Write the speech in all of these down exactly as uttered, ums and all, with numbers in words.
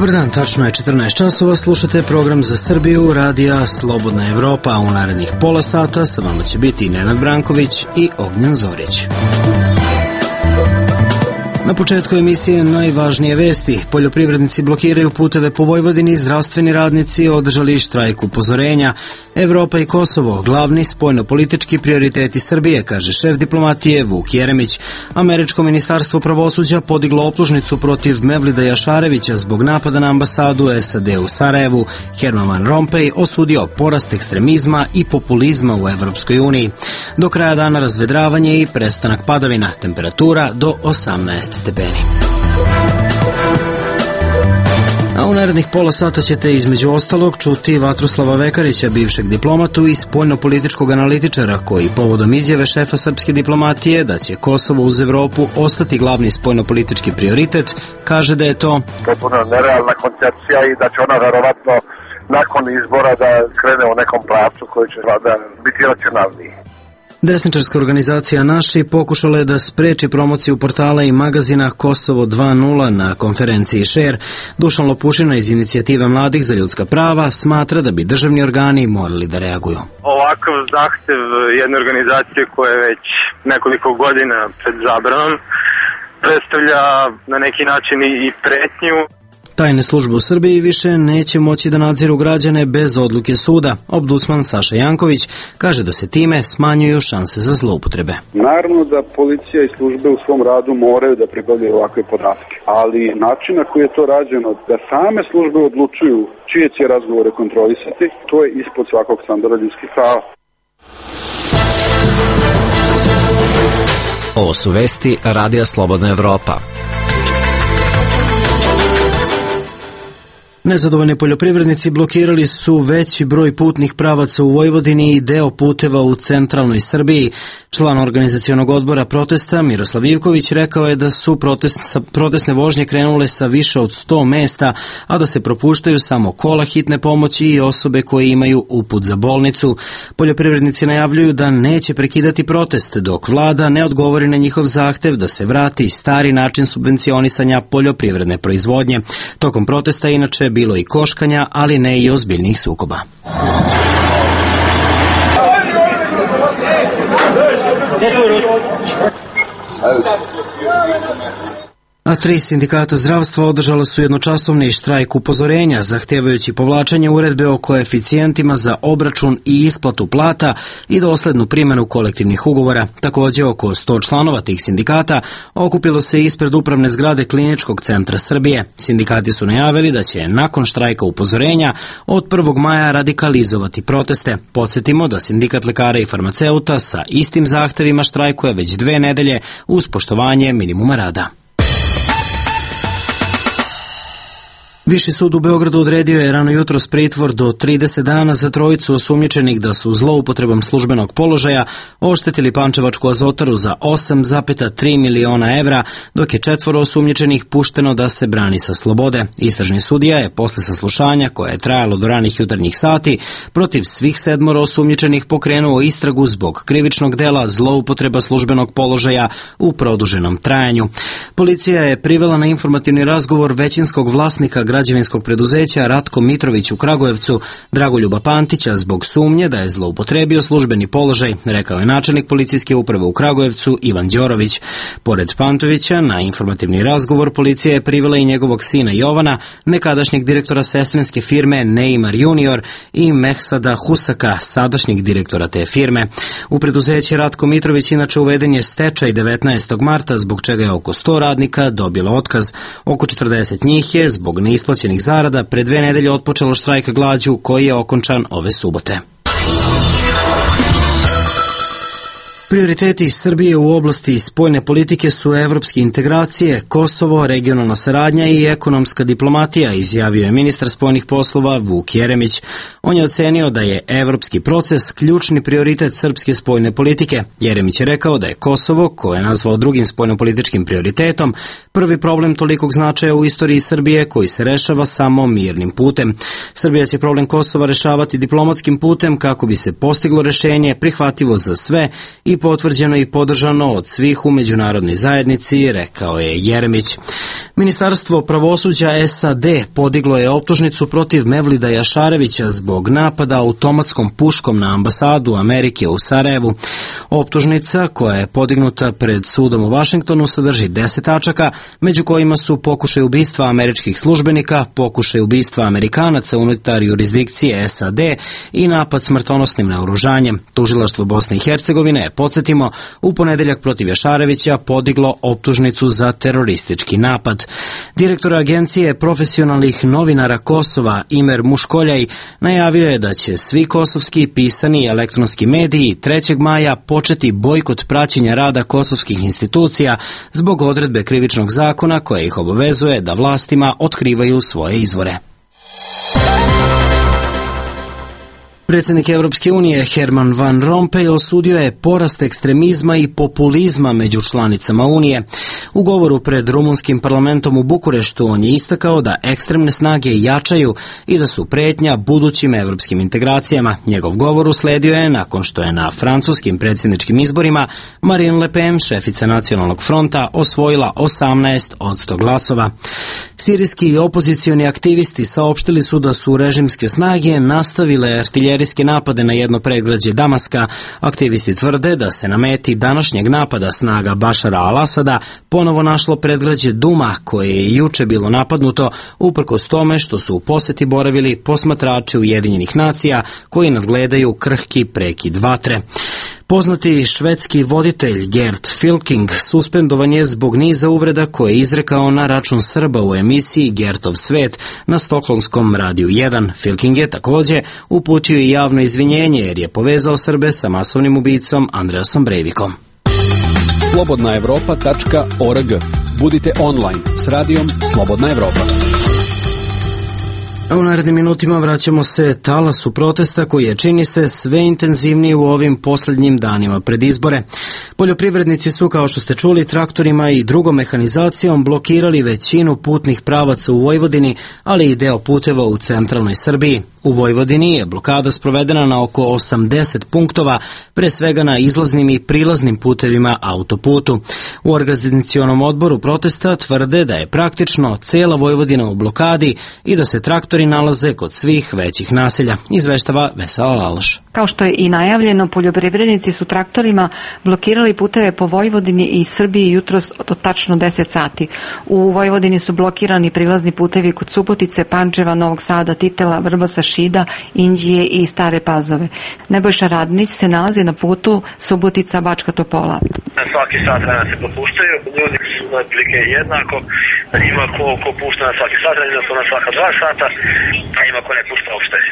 Dobar dan, tačno je četrnaest časova, slušate program za Srbiju, radija Slobodna Evropa, a u narednih pola sata sa vama će biti Nenad Branković i Ognjen Zorić. Na početku emisije najvažnije vesti. Poljoprivrednici blokiraju puteve po Vojvodini, zdravstveni radnici održali štrajk upozorenja. Evropa i Kosovo, glavni spoljnopolitički prioriteti Srbije, kaže šef diplomatije Vuk Jeremić. Američko ministarstvo pravosuđa podiglo optužnicu protiv Mevlida Jašarevića zbog napada na ambasadu S A D u Sarajevu. Herman Van Rompuy osudio porast ekstremizma i populizma u Evropskoj uniji. Do kraja dana razvedravanje i prestanak padavina, temperatura do osamnaest stepeni. A u narednih pola sata ćete između ostalog čuti Vatroslava Vekarića, bivšeg diplomatu i spoljnopolitičkog analitičara, koji povodom izjave šefa srpske diplomatije da će Kosovo uz Evropu ostati glavni spoljnopolitički prioritet, kaže da je to potpuno nerealna koncepcija i da će ona verovatno nakon izbora da krene u nekom pravcu koji će da biti racionalniji. Desničarska organizacija Naši pokušala je da spreči promociju portala i magazina Kosovo dva nula na konferenciji Share. Dušan Lopušina iz Inicijative mladih za ljudska prava smatra da bi državni organi morali da reaguju. Ovakav zahtev jedne organizacije koja je već nekoliko godina pred zabranom predstavlja na neki način i pretnju. Tajne službe u Srbiji više neće moći da nadziru građane bez odluke suda. Ombudsman Saša Janković kaže da se time smanjuju šanse za zloupotrebe. Naravno da policija i službe u svom radu moraju da pribavljaju ovakve podatke, ali način na koji je to rađeno, da same službe odlučuju čije će razgovore kontrolisati, to je ispod svakog standarda ljudskih prava. Ovo su vesti Radija Slobodna Evropa. Nezadovoljni poljoprivrednici blokirali su veći broj putnih pravaca u Vojvodini i deo puteva u centralnoj Srbiji. Član organizacionog odbora protesta Miroslav Ivković rekao je da su protest, protestne vožnje krenule sa više od sto mesta, a da se propuštaju samo kola hitne pomoći i osobe koje imaju uput za bolnicu. Poljoprivrednici najavljuju da neće prekidati protest dok vlada ne odgovori na njihov zahtev da se vrati stari način subvencionisanja poljoprivredne proizvodnje. Tokom protesta inače bilo i koškanja, ali ne i ozbiljnih sukoba. A tri sindikata zdravstva održala su jednočasovni štrajk upozorenja, zahtevajući povlačenje uredbe o koeficijentima za obračun i isplatu plata i doslednu primjenu kolektivnih ugovora. Također, oko sto članova tih sindikata okupilo se ispred upravne zgrade Kliničkog centra Srbije. Sindikati su najavili da će nakon štrajka upozorenja od prvog maja radikalizovati proteste. Podsjetimo da sindikat lekara i farmaceuta sa istim zahtevima štrajkuje već dve nedelje uz poštovanje minimuma rada. Viši sud u Beogradu odredio je rano jutros pritvor do trideset dana za trojicu osumnjičenih da su zloupotrebom službenog položaja oštetili Pančevačku azotaru za osam zarez tri miliona evra, dok je četvoro osumnjičenih pušteno da se brani sa slobode. Istražni sudija je posle saslušanja, koje je trajalo do ranih jutarnjih sati, protiv svih sedmoro osumnjičenih pokrenuo istragu zbog krivičnog dela zloupotreba službenog položaja u produženom trajanju. Policija je privela na informativni razgovor većinskog vlasnika građevinskog preduzeća Ratko Mitrović u Kragujevcu, Dragoljuba Pantića, zbog sumnje da je zloupotrebio službeni položaj, rekao je načelnik policijske uprave u Kragujevcu Ivan Đorović. Pored Pantovića, na informativni razgovor policija je privela i njegovog sina Jovana, nekadašnjeg direktora sestrinske firme Neymar junior i Mehsada Husaka, sadašnjeg direktora te firme. U preduzeće Ratko Mitrović inače uveden je stečaj devetnaestog marta, zbog čega je oko sto radnika dobilo otkaz. Oko četrdeset njih je zbog neisplaćenih zarada pre dve nedelje otpočelo štrajk glađu koji je okončan ove subote. Prioriteti Srbije u oblasti spoljne politike su evropske integracije, Kosovo, regionalna saradnja i ekonomska diplomatija, izjavio je ministar spoljnih poslova Vuk Jeremić. On je ocenio da je evropski proces ključni prioritet srpske spoljne politike. Jeremić je rekao da je Kosovo, koje je nazvao drugim spoljnopolitičkim prioritetom, prvi problem tolikog značaja u istoriji Srbije koji se rešava samo mirnim putem. Srbija će problem Kosova rešavati diplomatskim putem kako bi se postiglo rešenje prihvatljivo za sve i potvrđeno i podržano od svih u međunarodnoj zajednici, rekao je Jeremić. Ministarstvo pravosuđa S A D podiglo je optužnicu protiv Mevlida Jašarevića zbog napada automatskom puškom na ambasadu Amerike u Sarajevu. Optužnica, koja je podignuta pred sudom u Vašingtonu, sadrži deset tačaka, među kojima su pokušaj ubistva američkih službenika, pokušaj ubistva Amerikanaca unutar jurisdikcije S A D i napad smrtonosnim naoružanjem. Tužilaštvo Bosne i Hercegovine je, podsjetimo, u ponedeljak protiv Jašarevića podiglo optužnicu za teroristički napad. Direktor Agencije profesionalnih novinara Kosova Imer Muškoljaj najavio je da će svi kosovski pisani i elektronski mediji trećeg maja početi bojkot praćenja rada kosovskih institucija zbog odredbe krivičnog zakona koja ih obavezuje da vlastima otkrivaju svoje izvore. Predsjednik Evropske unije Herman Van Rompuy osudio je porast ekstremizma i populizma među članicama Unije. U govoru pred rumunskim parlamentom u Bukureštu on je istakao da ekstremne snage jačaju i da su pretnja budućim evropskim integracijama. Njegov govor usledio je nakon što je na francuskim predsjedničkim izborima Marine Le Pen, šefica Nacionalnog fronta, osvojila osamnaest od sto glasova. Sirijski opozicioni aktivisti saopštili su da su režimske snage nastavile artiljerijske napade na jedno predgrađe Damaska. Aktivisti tvrde da se na meti današnjeg napada snaga Bašara al-Asada ponovo našlo predgrađe Duma, koje je juče bilo napadnuto, uprkos tome što su u poseti boravili posmatrači Ujedinjenih nacija koji nadgledaju krhki prekid vatre. Poznati švedski voditelj Gert Fylking suspendovan je zbog niza uvreda koje je izrekao na račun Srba u emisiji Gertov svet na stokholmskom radiju jedan. Fylking je također uputio i javno izvinjenje jer je povezao Srbe sa masovnim ubicom Andreasom Breivikom. slobodna evropa tačka org. Budite online s radijom Slobodna Evropa. A u narednim minutima vraćamo se talasu protesta koji je, čini se, sve intenzivniji u ovim posljednjim danima pred izbore. Poljoprivrednici su, kao što ste čuli, traktorima i drugom mehanizacijom blokirali većinu putnih pravaca u Vojvodini, ali i deo puteva u centralnoj Srbiji. U Vojvodini je blokada sprovedena na oko osamdeset punktova, pre svega na izlaznim i prilaznim putevima autoputu. U organizacionom odboru protesta tvrde da je praktično cela Vojvodina u blokadi i da se traktori nalaze kod svih većih naselja, izveštava Vesela Laloš. Kao što je i najavljeno, poljoprivrednici su traktorima blokirali puteve po Vojvodini i Srbiji jutros do tačno deset sati. U Vojvodini su blokirani prilazni putevi kod Subotice, Pančeva, Novog Sada, Titela, Vrbasa, Šida, Inđije i Stare Pazove. Nebojša Radnić se nalazi na putu Subotica, Bačka Topola. Na svaki sat vremena se popuštaju, ljudi su otprilike jednako, ima ko, ko pušta na svaki sat vremena, na svaka dva sata, a ima ko ne pušta uopšte. E,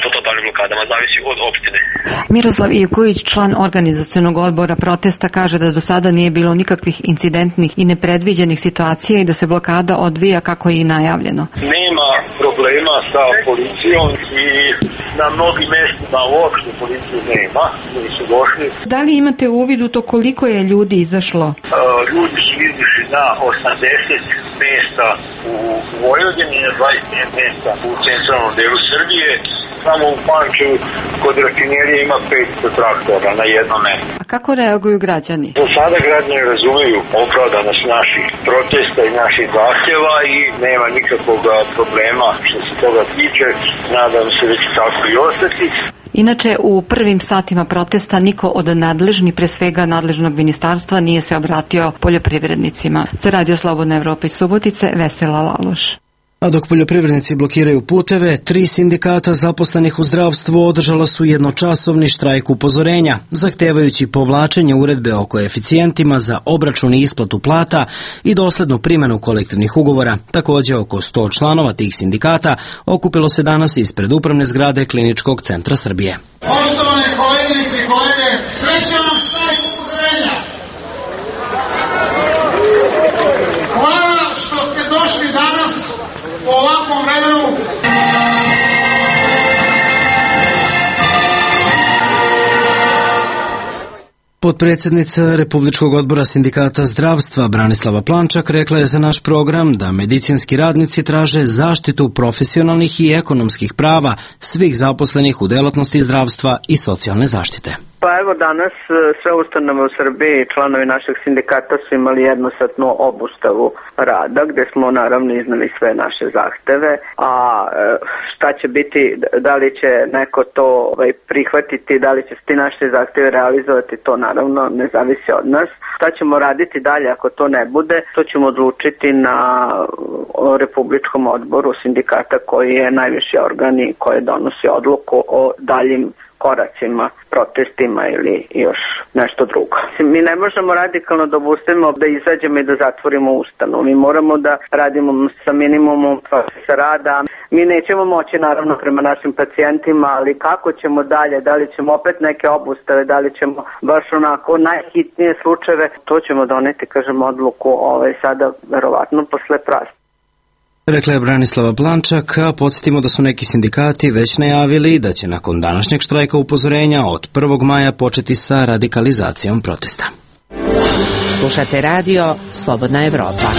po totalnim blokadama, zavisi od opštine. Miroslav Ivković, član organizacionog odbora protesta, kaže da do sada nije bilo nikakvih incidentnih i nepredviđenih situacija i da se blokada odvija kako je i najavljeno. Nema problema sa policijom i na mnogim mestima uopšte policiju nema, nisu došli. Da li imate uvid u to koliko je ljudi izašlo? E, ljudi su izašli na osamdeset mesta u Vojvodini i na dvadeset pet mesta u centralnom delu Srbije. Samo u Pančevu kod rafinerije ima petsto traktora na jednom mestu. A kako reaguju građani? Do sada građani razumeju opravdanost naših protesta i naših zahtjeva i nema nikakvog problema što se toga tiče. Nadam se da će tako i ostati. Inače, u prvim satima protesta niko od nadležnih, pre svega nadležnog ministarstva, nije se obratio poljoprivrednicima. Za Radio Slobodna Evropa iz Subotice, Vesela Laloš. A dok poljoprivrednici blokiraju puteve, tri sindikata zaposlenih u zdravstvu održala su jednočasovni štrajk upozorenja, zahtevajući povlačenje uredbe o koeficijentima za obračun i isplatu plata i doslednu primjenu kolektivnih ugovora. Također, oko sto članova tih sindikata okupilo se danas ispred upravne zgrade Kliničkog centra Srbije. Poštovane koleginice i kolege, srećan vam štrajk upozorenja! Hvala što ste došli danas u ovakvom vremenu. Potpredsjednica Republičkog odbora sindikata zdravstva Branislava Plančak rekla je za naš program da medicinski radnici traže zaštitu profesionalnih i ekonomskih prava svih svih zaposlenih u delatnosti zdravstva i socijalne zaštite. Pa evo danas sve ustanove u Srbiji, članovi našeg sindikata su imali jednosatnu obustavu rada gde smo naravno iznali sve naše zahteve, a šta će biti, da li će neko to ovaj, prihvatiti, da li će ti naše zahteve realizovati, to naravno ne zavisi od nas. Šta ćemo raditi dalje ako to ne bude, to ćemo odlučiti na Republičkom odboru sindikata koji je najviši organ i koji donosi odluku o daljim koracima, protestima ili još nešto drugo. Mi ne možemo radikalno da obustavimo, da izađemo i da zatvorimo ustanovu. Mi moramo da radimo sa minimumom procesa rada. Mi nećemo moći naravno prema našim pacijentima, ali kako ćemo dalje, da li ćemo opet neke obustave, da li ćemo baš onako najhitnije slučajeve, to ćemo doneti, kažem, odluku ovaj, sada verovatno posle praznika. Rekla je Branislava Plančak, a podsjetimo da su neki sindikati već najavili da će nakon današnjeg štrajka upozorenja od prvog maja početi sa radikalizacijom protesta. Slušate radio Slobodna Evropa.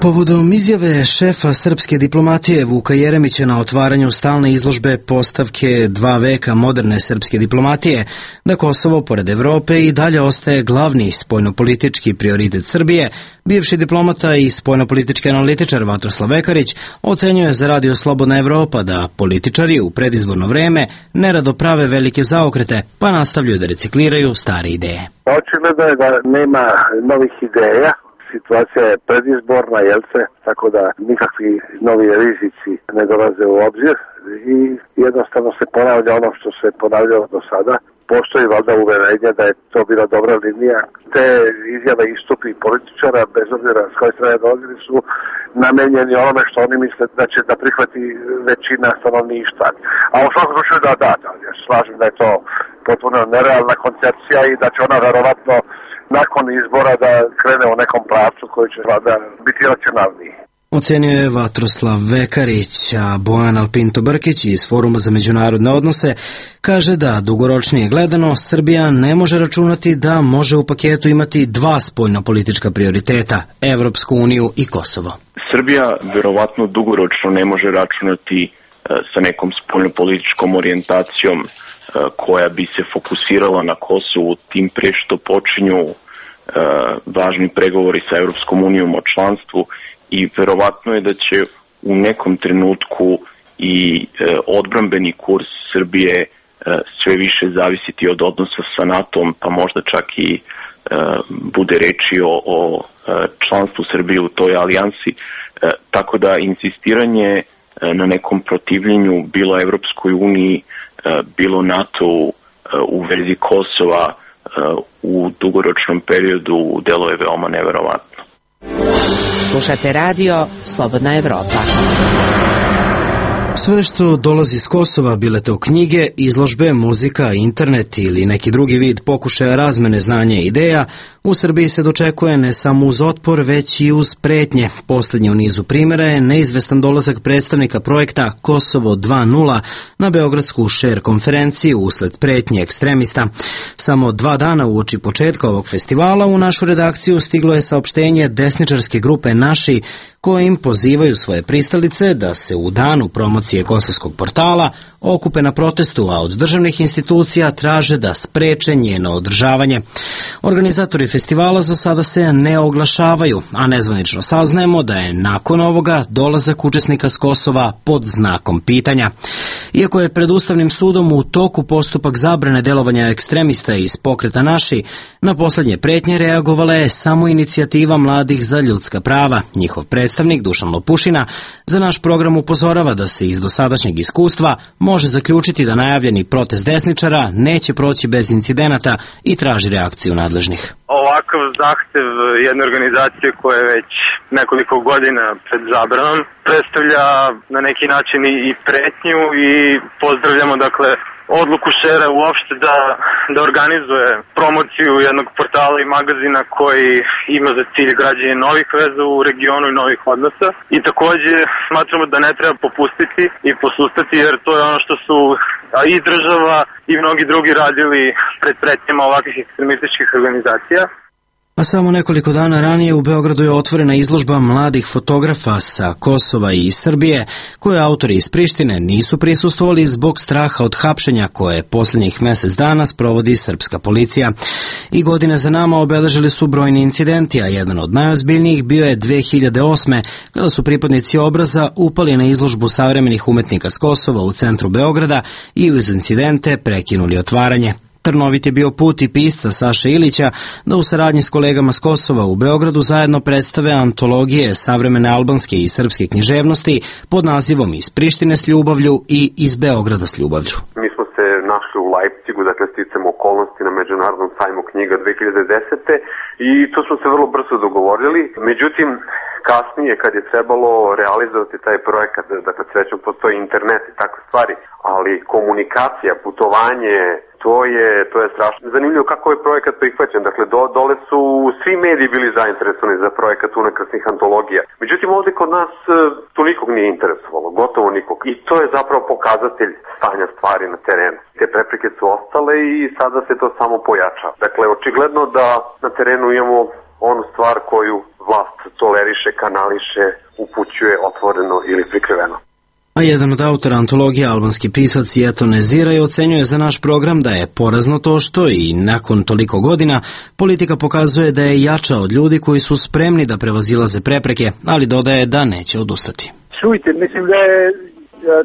Povodom izjave šefa srpske diplomatije Vuka Jeremića na otvaranju stalne izložbe postavke dva veka moderne srpske diplomatije, da Kosovo, pored Evrope, i dalje ostaje glavni spoljnopolitički prioritet Srbije, bivši diplomata i spoljnopolitički analitičar Vatroslav Vekarić ocenjuje za radio Slobodna Evropa da političari u predizborno vreme nerado prave velike zaokrete, pa nastavljaju da recikliraju stare ideje. Očigledno je da nema novih ideja. Situacija je predizborna, jel se, tako da nikakvi novi rizici ne dolaze u obzir i jednostavno se ponavlja ono što se ponavljalo do sada. Postoji valjda uverenje da je to bila dobra linija. Te izjave istupi političara, bez obzira s koje strane dolazili, su namenjeni onome što oni misle da će da prihvati većina stanovništva. A u svakom slučaju da, da, da, ja slažem da je to potpuno nerealna koncepcija i da će ona verovatno nakon izbora da krene u nekom pravcu koji će da biti racionalniji. Ocenio je Vatroslav Vekarić, a Bojan Alpinto Brkić iz Foruma za međunarodne odnose kaže da dugoročnije gledano Srbija ne može računati da može u paketu imati dva spoljnopolitička prioriteta, Evropsku uniju i Kosovo. Srbija verovatno dugoročno ne može računati sa nekom spoljnopolitičkom orijentacijom koja bi se fokusirala na Kosovu, tim pre što počinju uh, važni pregovori sa Evropskom unijom o članstvu i verovatno je da će u nekom trenutku i uh, odbrambeni kurs Srbije uh, sve više zavisiti od odnosa sa NATO-om, pa možda čak i uh, bude reči o, o uh, članstvu Srbije u toj alijansi. Uh, tako da insistiranje uh, na nekom protivljenju bilo Evropskoj uniji, bilo NATO u vezi Kosova u dugoročnom periodu delo je veoma neverovatno. Slušate radio Slobodna Evropa. Sve što dolazi s Kosova, bile to knjige, izložbe, muzika, internet ili neki drugi vid pokušaja razmene znanja i ideja, u Srbiji se dočekuje ne samo uz otpor, već i uz pretnje. Poslednji u nizu primjera je neizvestan dolazak predstavnika projekta Kosovo dva nula na Beogradsku šer konferenciju usled pretnje ekstremista. Samo dva dana uoči početka ovog festivala u našu redakciju stiglo je saopštenje desničarske grupe Naši, kojim pozivaju svoje pristalice da se u danu promocije kosovskog portala okupe na protestu, a od državnih institucija traže da spreče njeno održavanje. Organizatori festivala za sada se ne oglašavaju, a nezvanično saznajemo da je nakon ovoga dolazak učesnika s Kosova pod znakom pitanja. Iako je pred Ustavnim sudom u toku postupak zabrane delovanja ekstremista iz pokreta Naši, na poslednje pretnje reagovala je samo inicijativa Mladih za ljudska prava. Njihov predstavnik Dušan Lopušina za naš program upozorava da se iz dosadašnjeg iskustva može zaključiti da najavljeni protest desničara neće proći bez incidenata i traži reakciju nadležnih. Ovakav zahtev jedne organizacije koja je već nekoliko godina pred zabranom predstavlja na neki način i pretnju i pozdravljamo dakle odluku šera uopšte da, da organizuje promociju jednog portala i magazina koji ima za cilj građenje novih veza u regionu i novih odnosa. I takođe smatramo da ne treba popustiti i posustati jer to je ono što su i država i mnogi drugi radili pred pretnjama ovakvih ekstremističkih organizacija. A samo nekoliko dana ranije u Beogradu je otvorena izložba mladih fotografa sa Kosova i Srbije, koje autori iz Prištine nisu prisustvovali zbog straha od hapšenja koje posljednjih mesec dana sprovodi srpska policija. I godine za nama obeležili su brojni incidenti, a jedan od najozbiljnijih bio je dve hiljade osme. kada su pripadnici Obraza upali na izložbu savremenih umetnika s Kosova u centru Beograda i uz incidente prekinuli otvaranje. Trnovit je bio put i pisca Saše Ilića da u saradnji s kolegama s Kosova u Beogradu zajedno predstave antologije savremene albanske i srpske književnosti pod nazivom Iz Prištine s ljubavlju i Iz Beograda s ljubavlju. Mi smo se našli u Leipzigu, dakle sticam okolnosti na Međunarodnom sajmu knjiga dve hiljade desete. i to smo se vrlo brzo dogovorili. Međutim, kasnije kad je trebalo realizovati taj projekat, dakle srećom postoji internet i takve stvari, ali komunikacija, putovanje, to je, to je strašno zanimljivo kako je projekat prihvaćen. Dakle, do, dole su svi mediji bili zainteresovani za projekat unakrsnih antologija. Međutim, ovdje kod nas to nikog nije interesovalo, gotovo nikog. I to je zapravo pokazatelj stanja stvari na terenu. Te prepreke su ostale i sada se to samo pojača. Dakle, očigledno da na terenu imamo onu stvar koju vlast toleriše, kanališe, upućuje otvoreno ili prikriveno. A jedan od autora antologije, albanski pisac Jeto Neziraj, ocenjuje za naš program da je porazno to što i nakon toliko godina politika pokazuje da je jača od ljudi koji su spremni da prevazilaze prepreke, ali dodaje da neće odustati. Čujte, mislim da je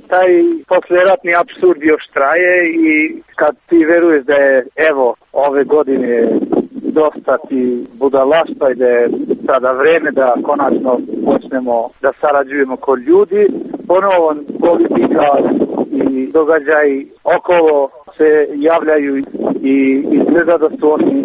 taj posleratni apsurd još traje i kad ti veruješ da je evo ove godine dosta ti budalaštva i da je sada vreme da konačno počnemo da sarađujemo kod ljudi, ponovo politika i događaji okolo se javljaju i izgleda da su oni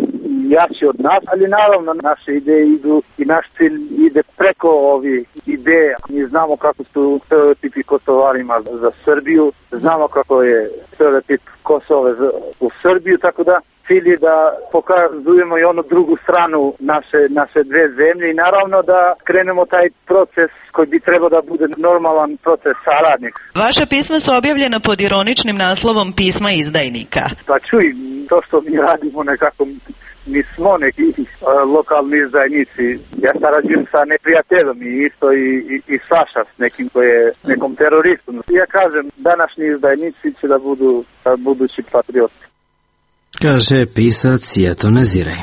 jači od nas, ali naravno naše ideje idu i naš cilj ide preko ovih ideja. Mi znamo kako su stereotipi Kosovarima za Srbiju, znamo kako je stereotip Kosova u Srbiju, tako da cilj je da pokazujemo i onu drugu stranu naše, naše dve zemlje i naravno da krenemo taj proces koji bi trebao da bude normalan proces saradnik. Vaša pisma su objavljena pod ironičnim naslovom Pisma izdajnika. Pa čuj, to što mi radimo nekako, mi smo neki uh, lokalni izdajnici. Ja sarađujem sa neprijateljom i isto i, i, i Saša s nekim koji je nekom teroristom. Ja kažem, današnji izdajnici će da budu uh, budući patrioti. Kaže pisac Jeto Neziraj.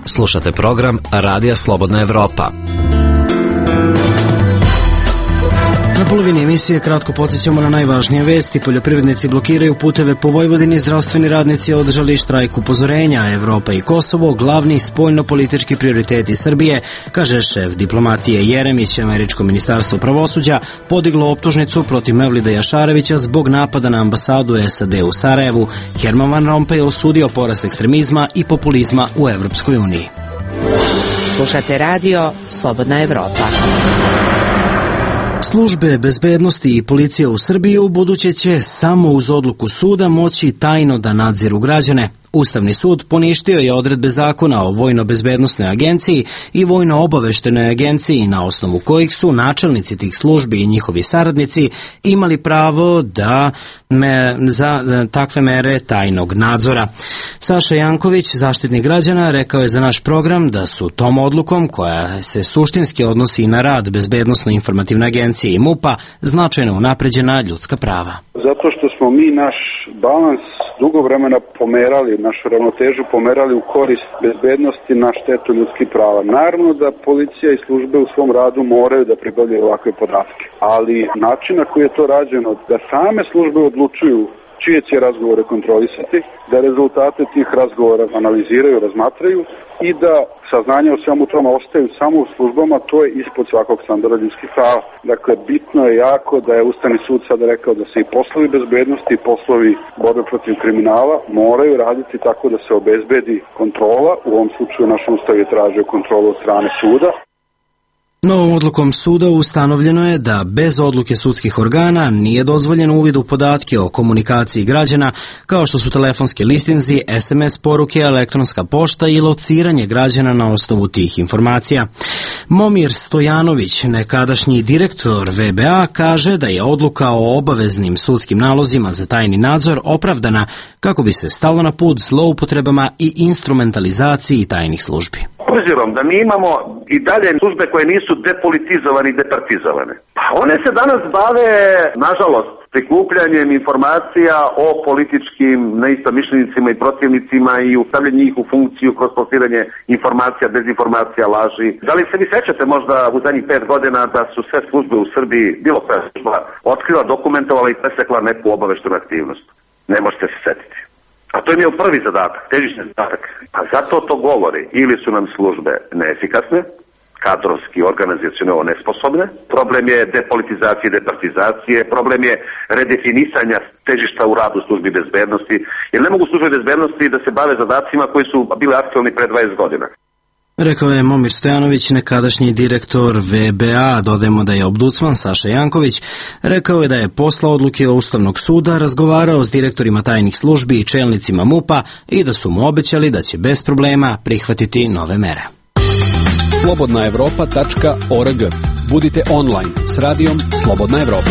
Slušate program Radija Slobodna Evropa. Na polovini emisije kratko podsjećamo na najvažnije vesti. Poljoprivrednici blokiraju puteve po Vojvodini, zdravstveni radnici održali štrajk upozorenja. Evropa i Kosovo, glavni spoljno-politički prioriteti Srbije, kaže šef diplomatije Jeremić. Američko ministarstvo pravosuđa podiglo optužnicu protiv Mevlida Jašarevića zbog napada na ambasadu S A D u Sarajevu. Herman Van Rompuy osudio porast ekstremizma i populizma u Evropskoj uniji. Slušate radio Slobodna Evropa. Službe bezbednosti i policija u Srbiji u buduće će samo uz odluku suda moći tajno da nadziru građane. Ustavni sud poništio je odredbe zakona o Vojno-bezbednosnoj agenciji i Vojno-obaveštenoj agenciji, na osnovu kojih su načelnici tih službi i njihovi saradnici imali pravo da me, za takve mere tajnog nadzora. Saša Janković, zaštitnik građana, rekao je za naš program da su tom odlukom, koja se suštinski odnosi na rad Bezbednosno-informativne agencije i MUP-a, značajno unapređena ljudska prava. Zato što smo mi naš balans dugo vremena pomerali, našu ravnotežu pomerali u korist bezbednosti na štetu ljudskih prava. Naravno da policija i službe u svom radu moraju da pribavljaju ovakve podatke, ali način na koji je to rađeno, da same službe odlučuju čije će razgovore kontrolisati, da rezultate tih razgovora analiziraju, razmatraju i da saznanja o svemu tome ostaju samo u službama, to je ispod svakog standarda ljudskih prava. Dakle, bitno je jako da je Ustavni sud sada rekao da se i poslovi bezbednosti i poslovi borbe protiv kriminala moraju raditi tako da se obezbedi kontrola. U ovom slučaju naš Ustav je tražio kontrolu od strane suda. Novom odlukom suda ustanovljeno je da bez odluke sudskih organa nije dozvoljen uvid u podatke o komunikaciji građana, kao što su telefonske listinzi, es em es poruke, elektronska pošta i lociranje građana na osnovu tih informacija. Momir Stojanović, nekadašnji direktor ve be a, kaže da je odluka o obaveznim sudskim nalozima za tajni nadzor opravdana kako bi se stalo na put zloupotrebama i instrumentalizaciji tajnih službi. Obzirom da mi imamo i dalje službe koje nisu depolitizovane i departizovane, pa one se danas bave, nažalost, prikupljanjem informacija o političkim neistomišljenicima i protivnicima i ustavljanje njih u funkciju kroz plasiranje informacija, dezinformacija, laži. Da li se vi sećate možda u zadnjih pet godina da su sve službe u Srbiji, bilo koja služba, otkrila, dokumentovala i presekla neku obaveštenu aktivnost? Ne možete se setiti. A to im je prvi zadatak, težišni zadatak. A zato to govori, ili su nam službe neefikasne, kadrovski, organizacionalno nesposobne, problem je depolitizacije i departizacije, problem je redefinisanja težišta u radu službi bezbednosti, jer ne mogu službe bezbednosti da se bave zadacima koji su bili aktualni pre dvadeset godina. Rekao je Momir Stojanović, nekadašnji direktor ve be a. Dodajemo da je ombudsman Saša Janković rekao je da je posle odluke Ustavnog suda razgovarao s direktorima tajnih službi i čelnicima MUP-a i da su mu obećali da će bez problema prihvatiti nove mere. slobodna evropa tačka org. Budite online s radijom Slobodna Evropa.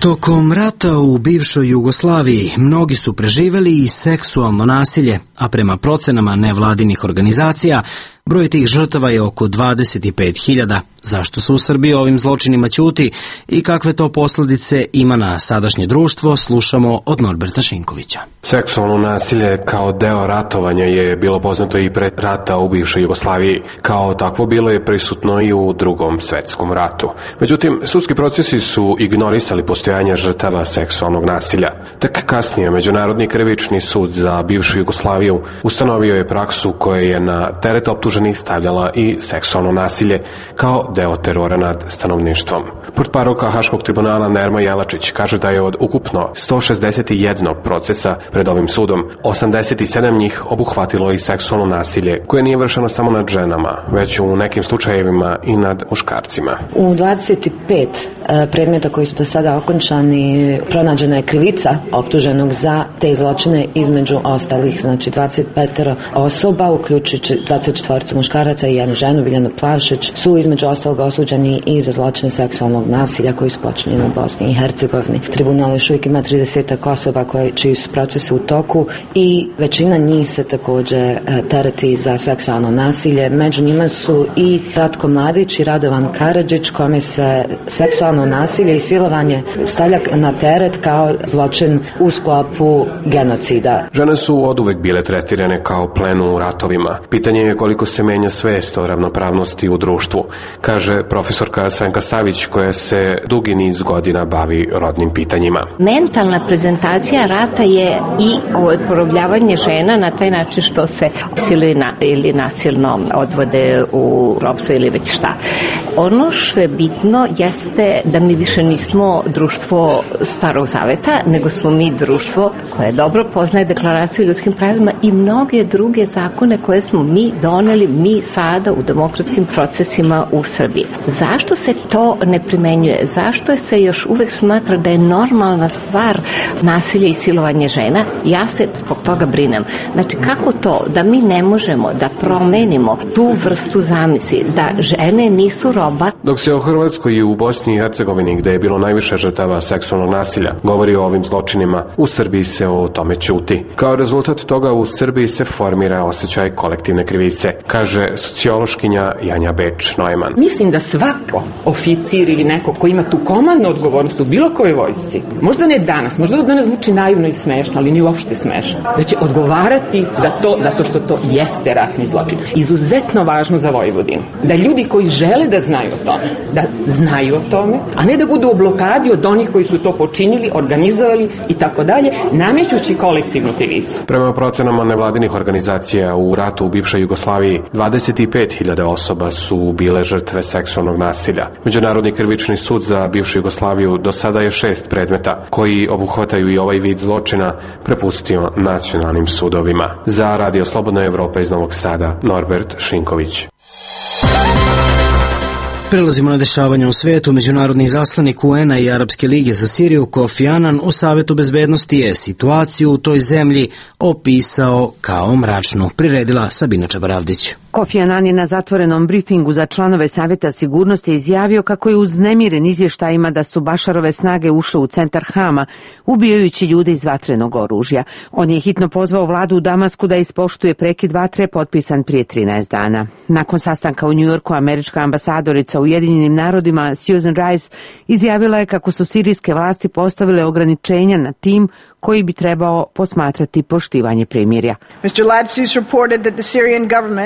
Tokom rata u bivšoj Jugoslaviji mnogi su preživeli i seksualno nasilje, a prema procenama nevladinih organizacija broj tih žrtava je oko dvadeset pet hiljada. Zašto se u Srbiji ovim zločinima ćuti i kakve to posljedice ima na sadašnje društvo, slušamo od Norberta Šinkovića. Seksualno nasilje kao deo ratovanja je bilo poznato i pre rata u bivšoj Jugoslaviji. Kao takvo bilo je prisutno i u Drugom svetskom ratu. Međutim, sudski procesi su ignorisali postojanje žrtava seksualnog nasilja. Tek kasnije Međunarodni krivični sud za bivšu Jugoslaviju ustanovio je praksu koja je na teret optuženih stavljala i seksualno nasilje kao deo terora nad stanovništvom. Portparolka Haškog tribunala Nermo Jelačić kaže da je od ukupno sto šezdeset jedan procesa pred ovim sudom, osamdeset sedam njih obuhvatilo i seksualno nasilje, koje nije vršeno samo nad ženama, već u nekim slučajevima i nad muškarcima. U dvadeset pet predmeta koji su do sada okončani pronađena je krivica optuženog za te zločine, između ostalih, znači dvadeset pet osoba, uključujući dvadeset četvoro muškaraca i jednu ženu, Biljanu Plavšić, su između ostalog osuđeni i za zločine seksualnog nasilja koji su počinjeni u Bosni i Hercegovini. Tribunal još uvijek ima trideset osoba koje, čiji su procesi u toku i većina njih se također tereti za seksualno nasilje. Među njima su i Ratko Mladić i Radovan Karadžić, kome se seksualno nasilje i silovanje stavlja na teret kao zločin u sklopu genocida. Žene su oduvek bile tretirane kao plen u ratovima. Pitanje je koliko se menja svest o ravnopravnosti u društvu, kaže profesorka Svenka Savić, koja se dugi niz godina bavi rodnim pitanjima. Mentalna prezentacija rata je i porobljavanje žena na taj način što se silina ili nasilno odvode u ropstvo ili već šta. Ono što je bitno jeste da mi više nismo društvo starog zaveta, nego smo mi društvo koje dobro poznaje deklaraciju o ljudskim pravima i mnoge druge zakone koje smo mi doneli, mi sada u demokratskim procesima u Srbiji. Zašto se to ne primenjuje? Zašto se još uvek smatra da je normalna stvar nasilje i silovanje žena? Ja se zbog toga brinem. Znači, kako to da mi ne možemo da promenimo tu vrstu zamisli, da žene nisu roba? Dok se o Hrvatskoj i u Bosni i Hercegovini, gde je bilo najviše žrtava seksualnog nasilja, govori o ovim zločinima, u Srbiji se o tome ćuti. Kao rezultat toga u Srbiji se formira osjećaj kolektivne krivice, kaže sociološkinja Janja Beč-Neumann. Mislim da svako oficir ili neko ko ima tu komandnu odgovornost u bilo kojoj vojsci, možda ne danas, možda da danas zvuči naivno i smešno, ali ni uopšte smešno, da će odgovarati za to, zato što to jeste ratni zločin. Izuzetno važno za Vojvodinu. Da ljudi koji žele da znaju o tome, da znaju o tome, a ne da budu u blokadi od onih koji su to počinili, organizovali i tako dalje, namećući kolektivnu krivicu. Prema procenama nevladinih organizacija u ratu u bivšoj Jugoslaviji, dvadeset pet hiljada osoba su bile žrtve seksualnog nasilja. Međunarodni krivični sud za bivšu Jugoslaviju do sada je šest predmeta koji obuhvataju i ovaj vid zločina prepustio nacionalnim sudovima. Za Radio Slobodna Evropa iz Novog Sada, Norbert Šinković. Prelazimo na dešavanja u svetu. Međunarodni izaslanik U N-a i Arapske lige za Siriju Kofi Anan u Savetu bezbednosti je situaciju u toj zemlji opisao kao mračnu. Priredila Sabina Čabaravdić. Kofi Anan je na zatvorenom brifingu za članove Saveta sigurnosti izjavio kako je uznemiren izvještajima da su Bašarove snage ušle u centar Hama, ubijajući ljude iz vatrenog oružja. On je hitno pozvao vladu u Damasku da ispoštuje prekid vatre potpisan prije trinaest dana. Nakon sastanka u Njujorku, američka ambasadorica u Ujedinjenim narodima Susan Rice izjavila je kako su sirijske vlasti postavile ograničenja na tim koji bi trebao posmatrati poštivanje primirja.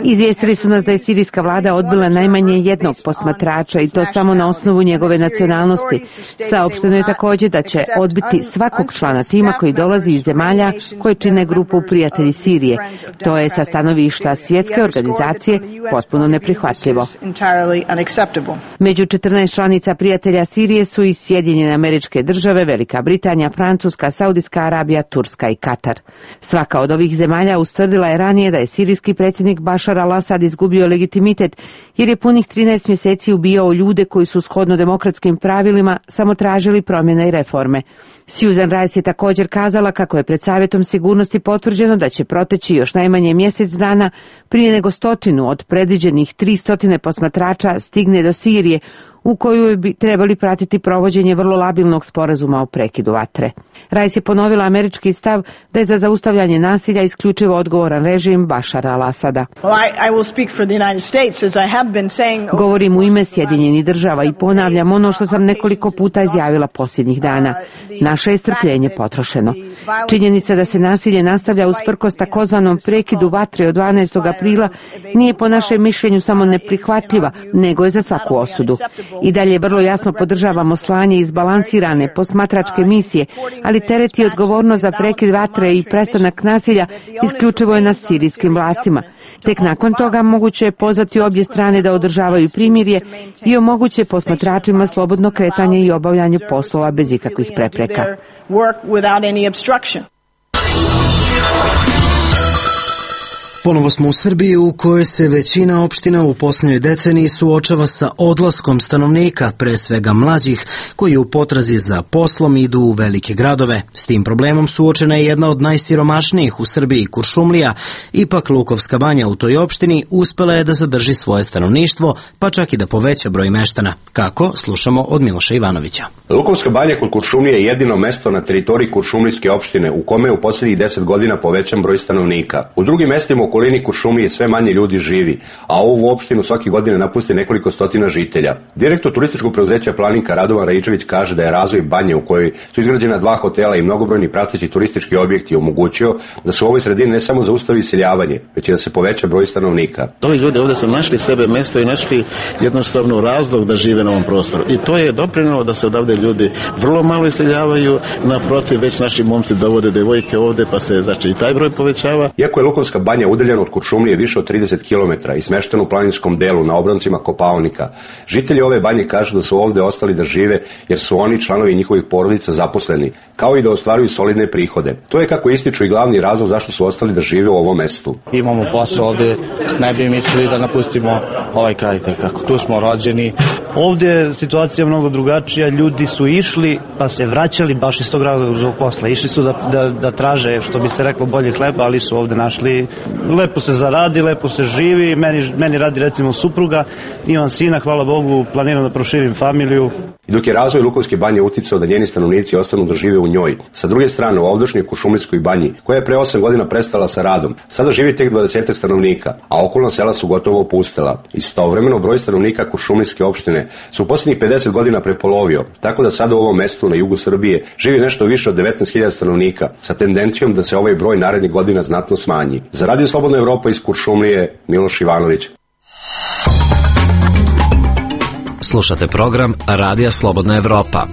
Izvijestili su nas da je sirijska vlada odbila najmanje jednog posmatrača i to samo na osnovu njegove nacionalnosti. Saopšteno je također da će odbiti svakog člana tima koji dolazi iz zemalja koje čine grupu Prijatelji Sirije. To je sa stanovišta svjetske organizacije potpuno neprihvatljivo. Među četrnaest članica Prijatelja Sirije su i Sjedinjene Američke Države, Velika Britanija, Francuska, Saudijska Arabija, Turska i Katar. Svaka od ovih zemalja ustvrdila je ranije da je sirijski predsjednik Bašar al-Asad izgubio legitimitet jer je punih trinaest mjeseci ubijao ljude koji su shodno demokratskim pravilima samo tražili promjene i reforme. Susan Rice je također kazala kako je pred Savjetom sigurnosti potvrđeno da će proteći još najmanje mjesec dana prije nego stotinu od predviđenih tristotine posmatrača stigne do Sirije, u koju bi trebali pratiti provođenje vrlo labilnog sporazuma o prekidu vatre. Rice je ponovila američki stav da je za zaustavljanje nasilja isključivo odgovoran režim Bašara al-Asada. Govorim u ime Sjedinjenih država i ponavljam ono što sam nekoliko puta izjavila posljednjih dana. Naše je strpljenje potrošeno. Činjenica da se nasilje nastavlja usprkos takozvanom prekidu vatre od dvanaestog aprila nije po našem mišljenju samo neprihvatljiva, nego je za svaku osudu. I dalje vrlo jasno podržavamo slanje izbalansirane posmatračke misije, ali teret i odgovornost za prekid vatre i prestanak nasilja isključivo je na sirijskim vlastima. Tek nakon toga moguće je pozvati obje strane da održavaju primirje i omoguće posmatračima slobodno kretanje i obavljanje poslova bez ikakvih prepreka. Ponovo smo u Srbiji u kojoj se većina opština u posljednjoj deceniji suočava sa odlaskom stanovnika, pre svega mlađih, koji u potrazi za poslom idu u velike gradove. S tim problemom suočena je jedna od najsiromašnijih u Srbiji, Kuršumlija. Ipak Lukovska banja u toj opštini uspela je da zadrži svoje stanovništvo, pa čak i da poveća broj meštana. Kako? Slušamo od Miloša Ivanovića. Lukovska banja kod Kuršumlije je jedino mesto na teritoriji Kuršumlijske opštine u kome je u posljednjih deset godina povećan broj stanovnika. U drugim mestima u okolini Kuršumlije sve manje ljudi živi, a ovu opštinu svake godine napusti nekoliko stotina žitelja. Direktor turističkog preduzeća Planinka Radovan Raičević kaže da je razvoj banje u kojoj su izgrađena dva hotela i mnogobrojni prateći turistički objekti omogućio da se u ovoj sredini ne samo zaustavi iseljavanje, već i da se poveća broj stanovnika. Ovi ljudi ovdje su našli sebe mesto i našli jednostavno razlog da žive na ovom prostoru. I to je doprinelo da se odavde ljudi vrlo malo iseljavaju, naprotiv već naši momci dovode devojke ovdje, pa se znači i taj broj povećava. Iako je Lukovska banja udaljena od Kuršumlije više od trideset kilometara i smeštena u planinskom delu na obroncima Kopaonika, žitelji ove banje kažu da su ovdje ostali da žive jer su oni članovi njihovih porodica zaposleni, kao i da ostvaruju solidne prihode. To je, kako ističu, i glavni razlog zašto su ostali da žive u ovom mestu. Imamo posao ovdje, ne bi mislili da napustimo ovaj kraj, kako tu smo rođeni. Ovdje je situacija mnogo drugačija, ljudi su išli pa se vraćali baš iz tog razloga zbog posla. Išli su da, da, da traže, što bi se reklo, bolje hleba, ali su ovdje našli. Lepo se zaradi, lepo se živi, meni, meni radi recimo supruga, imam sina, hvala Bogu, planiram da proširim familiju. I dok je razvoj Lukovske banje uticao da njeni stanovnici ostanu da žive u njoj, sa druge strane u ovdašnjoj Kuršumlijskoj banji, koja je pre osam godina prestala sa radom, sada živi tek dvadesetak stanovnika, a okolna sela su gotovo opustela. Istovremeno broj stanovnika Kuršumlijske opštine su u posljednjih pedeset godina prepolovio, tako da sada u ovom mestu na jugu Srbije živi nešto više od devetnaest hiljada stanovnika, sa tendencijom da se ovaj broj narednih godina znatno smanji. Za Radio Slobodna Evropa iz Kuršumlije, Miloš Ivanović. Slušate program Radija Slobodna Evropa.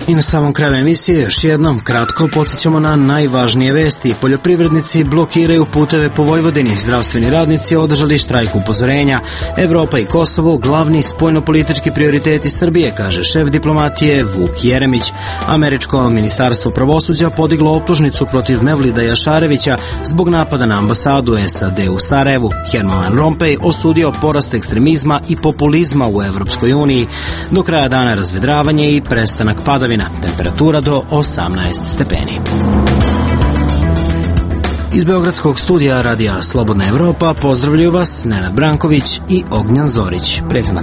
I na samom kraju emisije još jednom kratko podsjećamo na najvažnije vesti. Poljoprivrednici blokiraju puteve po Vojvodini, zdravstveni radnici održali štrajk upozorenja. Evropa i Kosovo glavni spoljnopolitički prioriteti Srbije, kaže šef diplomatije Vuk Jeremić. Američko ministarstvo pravosuđa podiglo optužnicu protiv Mevlida Jašarevića zbog napada na ambasadu S A D u Sarajevu. Herman Van Rompuy osudio porast ekstremizma i populizma u Evropskoj uniji. Do kraja dana razvedravanje i prestanak padavina. Temperatura do osamnaest stepeni. Iz Beogradskog studija Radija Slobodna Evropa pozdravljaju vas Nenad Branković i Ognjan Zorić. Prijatno.